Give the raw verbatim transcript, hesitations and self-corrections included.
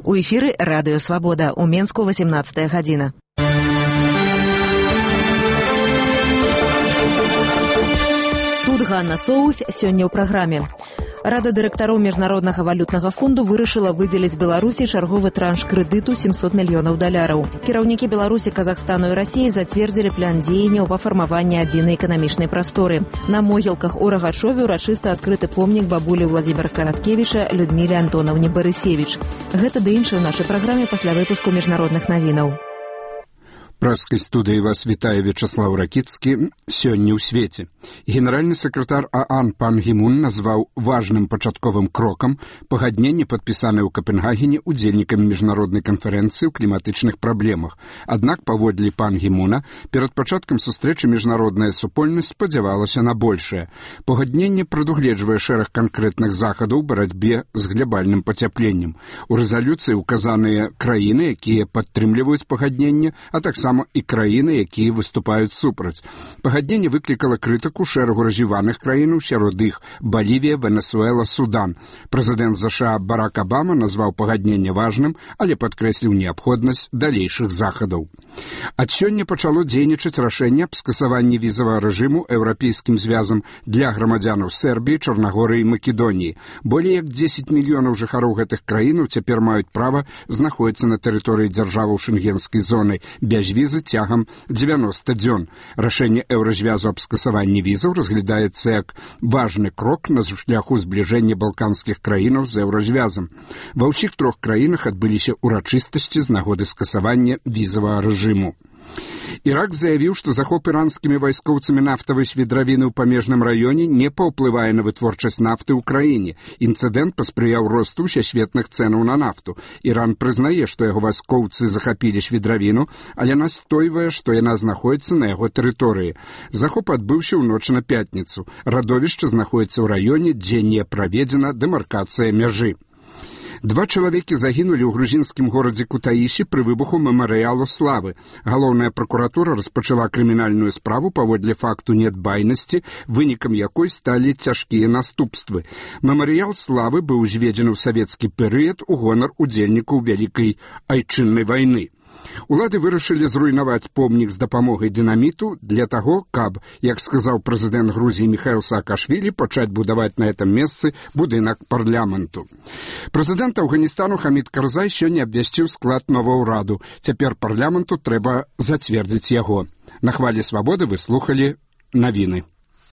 У эфіры радыё «Свабода», у Менску восемнадцатая гадзіна. Тут Ганна Соус, сёння ў праграме. Рада дырэктароў Міжнароднага валютнага фонду вырашыла выдзеліць Беларусі чарговы транш крэдыту сямсот мільёнаў даляраў. Кіраўнікі Беларусі, Казахстану і Расіі зацвердзілі план дзеянняў па фармаванні адзінай эканамічнай прасторы. На могілках у Рагачове ўрачыста адкрыты помнік бабулі Владзіміра Караткевіча Людміле Антонаўне Барысевіч. Гэта ды іншае ў нашай праграме пасля выпуску міжнародных навінаў. Праскай студыі вас вітае Вячаслаў Ракіцкі. Сёння ў свеце. Генеральны сакратар ААН пан Гі Мун назваў важным пачатковым крокам пагадненне, падпісанае ў Капенгагене удзельнікамі міжнароднай канферэнцыі ў кліматычных праблемах. Аднак, паводле пан Гі Муна, перад пачаткам сустрэчы міжнародная супольнасць спадзявалася на большае. Пагадненне прадугледжвае шэраг канкрэтных захадаў у барацьбе з глябальным пацяпленнем. У рэзалюцыі ўказаныя краіны, якія падтрымліваюць пагадненне, а таксама і краіны, якія выступаюць супраць. Пагадненне выклікала крытыку шэрагу развіваных краінаў, сярод іх Балівія, Венесуэла, Судан. Прэзідэнт ЗША Барак Абама назваў пагадненне важным, але падкрэсліў неабходнасць далейшых захадаў. Ад сёння пачало дзейнічаць рашэнне аб скасаванні візавага рэжыму еўрапейскім звязам для грамадзянаў Сербіі, Чарнагорыі і Македоніі. Болей як дзесяць мільёнаў жыхароў гэтых краінаў цяпер маюць права знаходзіцца на тэрыторыі дзяржаваў шэнгенскай зоны без візы цягам дзевяноста дзён. Рашэнне еўразвязу аб скасаванні візаў разглядаецца як важны крок на шляху збліжэння балканскіх краінаў з еўразвязам. Ва ўсіх трох краінах адбыліся ўрачыстасці з нагоды скасавання візавага рэжыму. Ірак заявіў, што захоп іранскімі вайскоўцамі нафтавай свідравіны ў памежным раёне не паўплывае на вытворчасць нафты ў краіне. Інцыдэнт паспрыяў росту ўсесветных цэнаў на нафту. Іран прызнае, што яго вайскоўцы захапілі свідравіну, але настойвае, што яна знаходзіцца на яго тэрыторыі. Захоп адбыўся ў ноч на пятніцу. Радовішча знаходзіцца ў раёне, дзе не праведзена дэмаркацыя мяжы. Два чалавекі загінулі ў грузінскім горадзе Кутаіші пры выбуху мемарыялу славы. Галоўная пракуратура распачала крымінальную справу паводле факту нядбайнасці, вынікам якой сталі цяжкія наступствы. Мемарыял славы быў узведзены ў савецкі перыяд у гонар удзельнікаў Вялікай айчыннай вайны. Улады вырашылі зруйнаваць помнік з дапамогай дынаміту для таго, каб, як сказаў прэзідэнт Грузіі Міхаіл Саакашвілі, пачаць будаваць на гэтым месцы будынак парламенту. Прэзідэнт Афганістану Хамід Карзай сёння абвясціў склад новага ўраду. Цяпер парламенту трэба зацвердзіць яго. На хвалі свабоды вы слухалі навіны.